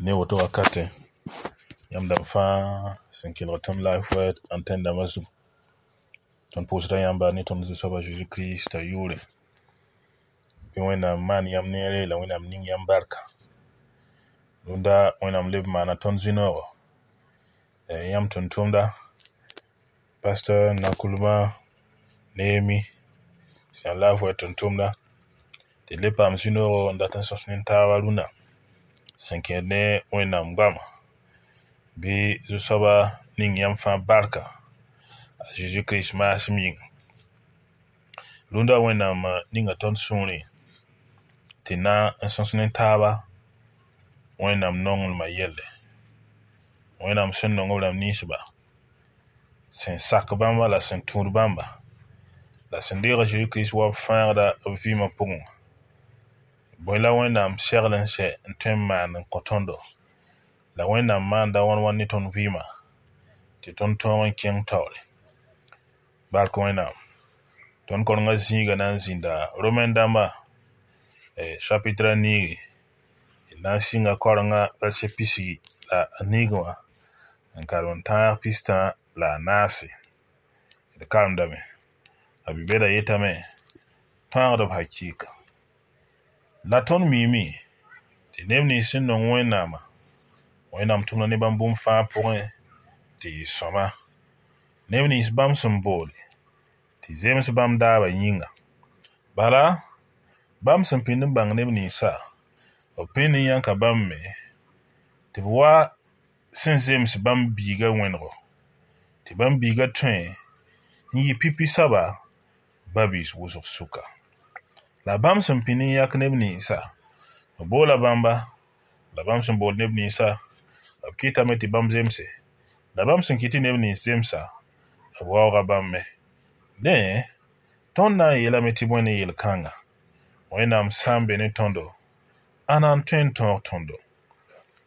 Ne woto wakatẽ, yãmb dãmb fãa sẽn kelg tõnd Life Word antenne dãmbã zugu, tõnd pʋʋsda yãmba ne tõnd Zu-soab a Zeezi Kirista yʋʋre. Bɩ Wẽnnaam maan yãmb neere la Wẽnnaam ning yãmb barka. Rũndã Wẽnnaam leb n maana tõnd zĩ-noogo. Yãmb tʋm-tʋmda, pastor Nakulma Neemi sẽn yaa Life Word tʋm-tʋmda, tɩ d le paam zĩ-noogo n dat n sõs ne taaba rũnã sẽn kẽed ne Wẽnnaam goama. Bɩ Zu-soabã ning yãmb fãa barka a Zeezi Kirist maasem yĩnga. Rũndã Wẽnnaam ninga tõnd sũurẽ tɩ na n sõs ne taaba Wẽnnaam nonglmã yelle. Wẽnnaam sẽn nong b rãmb ninsba, sẽn sak bãmba la sẽn tũud bãmba, la sẽn deeg a Zeezi Kirist wa b fãagda b vɩɩmã pʋgẽ wã. Bõe la Wẽnnaam segl n sɛ n tõe n maan n kõ tõndo, la Wẽnnaam maanda wãn wãn ne tõnd vɩɩmã tɩ tõnd tõog n kẽng taoore. Bark Wẽnnaam. Tõnd korengã zĩiga na n zĩnda Romain dãmba chapitre a niigi, d na n sɩnga korengã verset pisgi la a niigẽ wã n karem n tãag pistã la a naase. D karemdame. A bi-bɛda yetame tãagdb hakɩɩka. La tõnd miime tɩ neb nins sẽn nong Wẽnnaamã, Wẽnnaam tʋmda ne bãmb bũmb fãa pʋgẽ tɩ yɩ sõma. Neb nins bãmb sẽn boole tɩ zems bãmb daabã yĩnga. Bala, bãmb sẽn pĩnd n bãng neb ninsã, b pĩnd n yãka bãmb me tɩ b wa sẽn zems bãmb biigã wẽnego, tɩ bãmb biigã tõe n yɩ pipi soaba ba-biis wʋsg sʋka. La bãmb sẽn pĩnd n yãk neb ninsã, b boola bãmba, la bãmb sẽn bool neb ninsã, b kɩtame tɩ bãmb zemse, la bãmb sẽn kɩt tɩ neb nins zemsa, b waooga bãmb me. Dẽ, tõnd na n yeelame tɩ bõe ne yel-kãnga? Wẽnnaam sã n be ne tõndo, ãnna n tõe n tõog tõndo?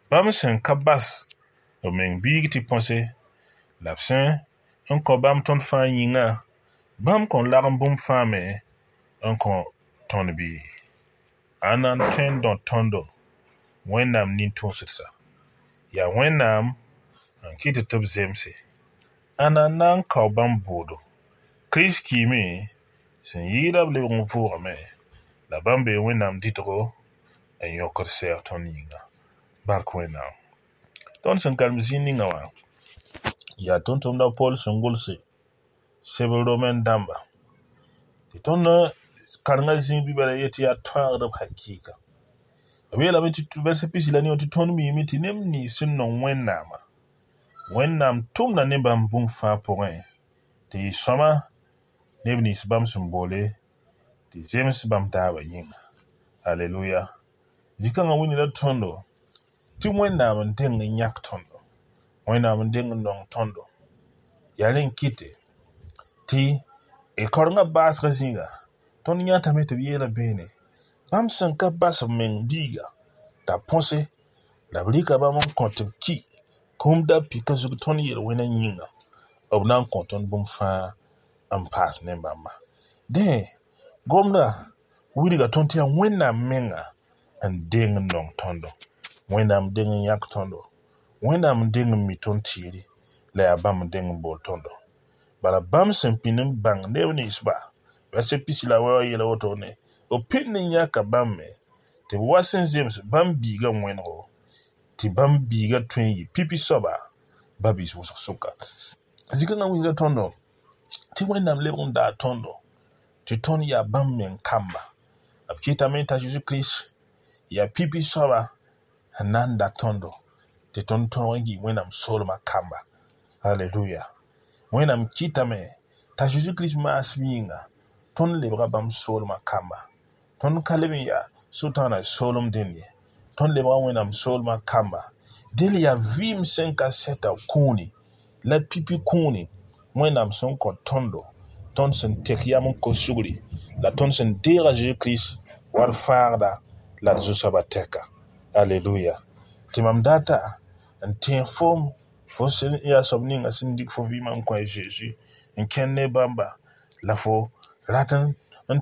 Bãmb sẽn ka bas b meng biig tɩ põse, la b sẽn n kõ bãmb tõnd fãa yĩngã, bãmb kõn lagem bũmb fãa me n kõ tõnd bɩ? Ãnna n tõe n dõ tõndo Wẽnnaam nin-tũusdsa? Yaa Wẽnnaam n kɩt tɩ b zemse. Ãnna n na n kao bãmb bʋʋdo? Kirist kiime sẽn yɩɩda b lebg n vʋʋgame, la bãmb bee Wẽnnaam dɩtgo n yõkd sɛɛg tõnd yĩnga. Bark Wẽnnaam. Tõnd sẽn karem zĩig ninga wã yaa tʋm-tʋmda Pol sẽn gʋlse sebr Romain dãmba tɩ tõnd karengã zĩig bɩ yet tɩ yaa tõagdb hakɩɩka. B yeelame tɩ verset pisi la ne tɩ tõnd miime tɩ neb nins sẽn nong Wẽnnaamã, Wẽnnaam tʋmda ne bãmb bũmb fãa pʋgẽ tɩ yɩ sõma neb nins bãmb sẽn boole tɩ zems bãmb daabã yĩnga. Aleluya. Zĩ-kãngã wilgda tõndo tɩ Wẽnnaam n deng n yãk tõndo, Wẽnnaam n deng n nong tõndo. Yaa rẽ n kɩte tɩ d kaorengã baasgã zĩiga tõnd yãtame tɩ b yeela beene bãmb sẽn ka bas b meng biiga t'a põse la b rɩka bãmb n kõ tɩ b ki kũum da pika zug tõnd yel-wẽnã yĩnga, b na n kõ tõnd bũmb fãa n paas ne bãmba. Dẽ, gomdã wilga tõnd tɩ yaa Wẽnnaam menga n deng n nong tõndo, Wẽnnaam deng n yãk tõndo, Wẽnnaam n deng n mi tõnd tɩɩre, la yaa bãmb n deng n bool tõndo. Bala bãmb sẽn pĩnd n bãng neb ninsba, verset pisi la wɛ wã yeela wotone, b pĩnd n yãka bãmb me tɩ b wa sẽn zems bãmb biigã wẽnego, tɩ bãmb biigã tõe n yɩ pipi soaba ba-biis wʋsg sʋka. Zĩ-kãngã wilga tõndo tɩ Wẽnnaam lebg n daa tõndo tɩ tõnd yaa bãmb meng kamba. B kɩtame t'a Zeezi Kirist yaa pipi soaba n na n da tõndo tɩ tõnd tõog n yɩ Wẽnnaam soolmã kamba. Aleluya. Wẽnnaam kɩtame t'a Zeezi Kirist maasem yĩnga tõnd lebga bãmb soolmã kamba. Tõnd ka leb n yaa Sʋtãanã soolem dẽnd ye. Tõnd lebga Wẽnnaam soolmã kamba. Dẽl yaa vɩɩm sẽn ka sɛta kũuni la pipi kũuni Wẽnnaam sẽn kõ tõndo, tõnd sẽn tek yam n kos sugri la tõnd sẽn deeg a Zeezi Kirist wa d fãagda la d zu-soabã tɛka. Aleluya. Tɩ mam data n tẽeg foom fo sẽn yaa soab ninga sẽn dɩk fo vɩɩmã n kõ a Zeezi n kẽnd ne bãmba la fo rat n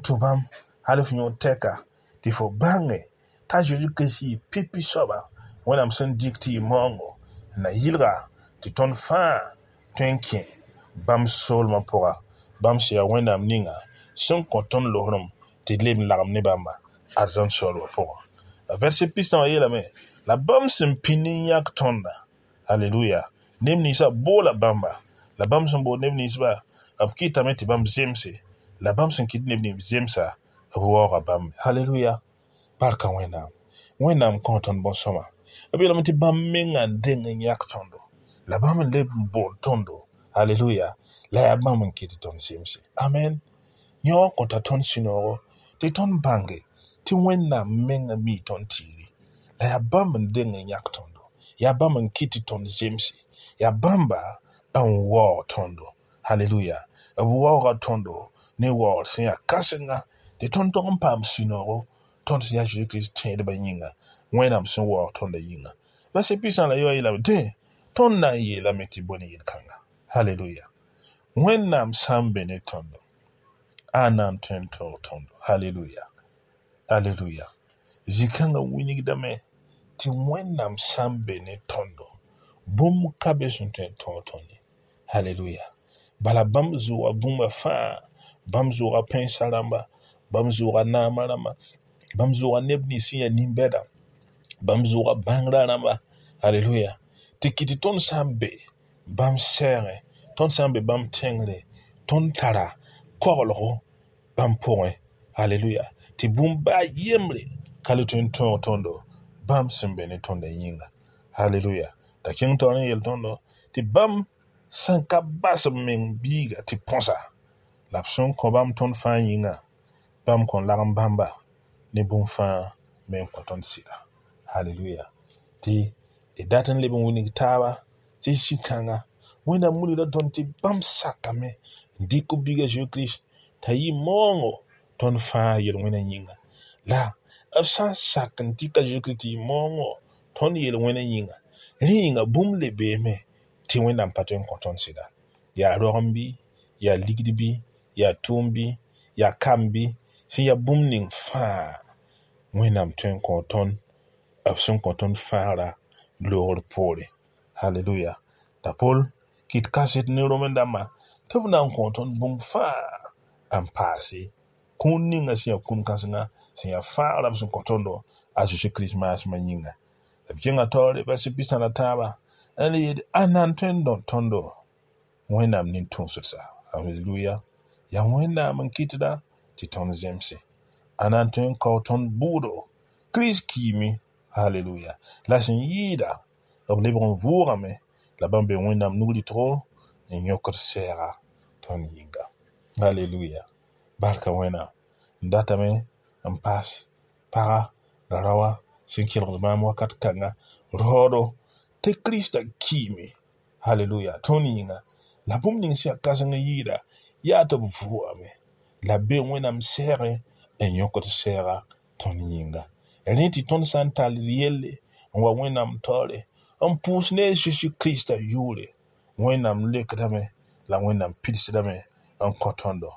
tũ bãmb hal f yõod tɛka tɩ fo bãnge t'a Zeezi Kirist yɩ pipi soaba Wẽnnaam sẽn dɩk tɩ yɩ maoongo n na yɩlga tɩ tõnd fãa tõe n kẽ bãmb soolmã pʋga. Bãmb sẽn yaa Wẽnnaam ninga sẽn kõ tõnd losrem tɩ d leb n lagem ne bãmba arzãn soolmã pʋgã. La vɛrse pistã wã yeelame la bãmb sẽn pĩnd n yãk tõnda. Halleluya. Neb ninsã boola bãmba. La bãmb sẽn bool neb ninsba, b kɩtame tɩ bãmb zemse. La bãmb sẽn kɩt neb nins zemsa, b waooga bãmb. Halleluya. Barka Wẽnnaam. Wẽnnaam kõ tõnd bõn-sõma. B yeelame tɩ bãmb menga n deng n yãk tõndo. La bãmb n leb n bool tõndo. Halleluya. La yaa bãmb n kɩt tɩ tõnd zemse. Amen. Yõ wã kõta tõnd sũ-noogo tɩ tõnd bãnge tɩ Wẽnnaam menga mii tõnd tiiri. La yaa bãmb n deng n yãk tõndo. Yaa bãmb n kɩt tɩ tõnd zemse. Yaa bãmba n waoog tõndo. Halleluya. B waooga tõndo ne waoogr sẽn yaa kãsenga tɩ tõnd tog n paam sũ-noogo tõnd sẽn yaa Zeezi Kirist tẽedbã yĩnga, Wẽnnaam sẽn waoog tõndã yĩnga. Vɛrse pistã la yoa yeelame dẽ tõnd na n yeelame tɩ bõe ne yel-kãnga. Halleluya. Wẽnnaam sã n be ne tõndo, a na n tõe n tõog tõndo. Halleluya. Halleluya. Zĩ-kãngã wilgdame tɩ Wẽnnaam sã n be ne tõndo, bũmb ka be sẽn tõe n tõog tõnd ye. Halleluya. Bala bãmb zʋʋga bũmba fãa, bãmb zʋʋga pẽnsã rãmba, bãmb zʋʋga naamã rãmba, bãmb zʋʋga neb nins sẽn yaa nin-bɛda, bãmb zʋʋga bãngrã rãmba. Halleluya. Tɩ kɩt tɩ tõnd sã n be bãmb sɛɛgẽ, tõnd sã n be bãmb tẽngre, tõnd tara koglgo bãmb pʋgẽ. Halleluya. Tɩ bũmb baa yembre ka le tõe n tõog tõndo bãmb sẽn be ne tõndã yĩnga. Halleluya. T'a kẽng taoor n yeel tõndo tɩ bãmb sẽn ka bas b meng biiga tɩ põsa, la b sẽn kõ bãmb tõnd fãa yĩnga, bãmb kõn lagem bãmba ne bũmb fãa me n kõ tõnd sɩda. Halleluya. Tɩ d dat n leb n wilg taaba tɩ zĩ-kãnga Wẽnnaam wilgda tõnd tɩ bãmb sakame n dɩk b biiga Zeezi Kirist t'a yɩ maoongo tõnd fãa yel-wẽnã yĩnga. La b sã n sak n dɩka Zeezi Kirist tɩ yɩ maoongo tõnd yel-wẽnã yĩnga, rẽ yĩnga bũmb le beeme tɩ Wẽnnaam pa tõe n kõ tõnd sɩda. Yaa roagem bɩ, yaa ligd bɩ, yaa tʋʋm bɩ, yaa kam bɩ, sẽn yaa bũmb ning fãa Wẽnnaam tõe n kõ tõnd b sẽn kõ tõnd fãagra loogr poore. Halleluya. T'a Pol kɩt kaset ne Romen dãmbã tɩ b na n kõ tõnd bũmb fãa n paase kũun ninga sẽn yaa kũun kãsenga sẽn yaa fãagra b sẽn kõ tõndo a Zeezi Kirist maasmã yĩnga. La b kẽnga taoore vɛrse pistã la tãabã n le yeel a na n tõe n dõd tõndo Wẽnnaam nin-tũusdsa. Halleluya. Yaa Wẽnnaam n kɩtda tɩ tõnd zemse. A na n tõe n kao tõnd bʋʋdo. Kirist kiime. Halleluya. La sẽn yɩɩda b lebg n vʋʋgame la bãmb be Wẽnnaam nug-rɩtgo n yõkd sɛɛga tõnd yĩnga. Halleluya. Barka Wẽnnaam. N datame n paas paga la raoã sẽn kelgd maam wakat kãnga raoodo tɩ Kiristã kiime. Halleluya. Tõnd yĩnga. La bũmb ning sẽn yaa kãseng n yɩɩda yaa tɩ b vʋʋgame la b be Wẽnnaam sɛɛgẽ n yõkd sɛɛga tõnd yĩnga. Rẽ tɩ tõnd sã n tall d yelle n wa Wẽnnaam taoore n pʋʋs ne a Zeezi Kiristã yʋʋre, Wẽnnaam lekdame la Wẽnnaam pidsdame n kõ tõndo.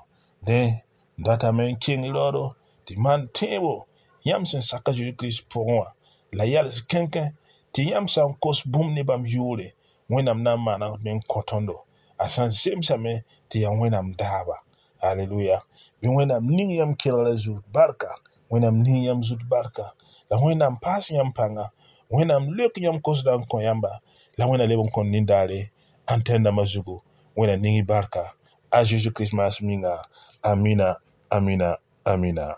Dẽ n datame n keng raoodo tɩ maan tẽebo yãmb sẽn sak a Zeezi Kirist pʋgẽ wã la yals kẽnkẽ tɩ yãmb sã n kos bũmb ne bãmb yʋʋre, Wẽnnaam na n maana me n kõ tõndo. A sã n zemsame tɩ yaa Wẽnnaam daaba. Halleluya. Bɩ Wẽnnaam ning yãmb kelgrã zut barka, Wẽnnaam ning yãmb zut barka, la Wẽnnaam paas yãmb pãnga, Wẽnnaam leok yãmb kosdã n kõ yãmba, la Wẽnnaam leb n kõn nindaare antɛn dãmbã zugu. Wẽnnaam ning y barka a Zeezi Kirist maasem yĩnga. Amina, amina, amina.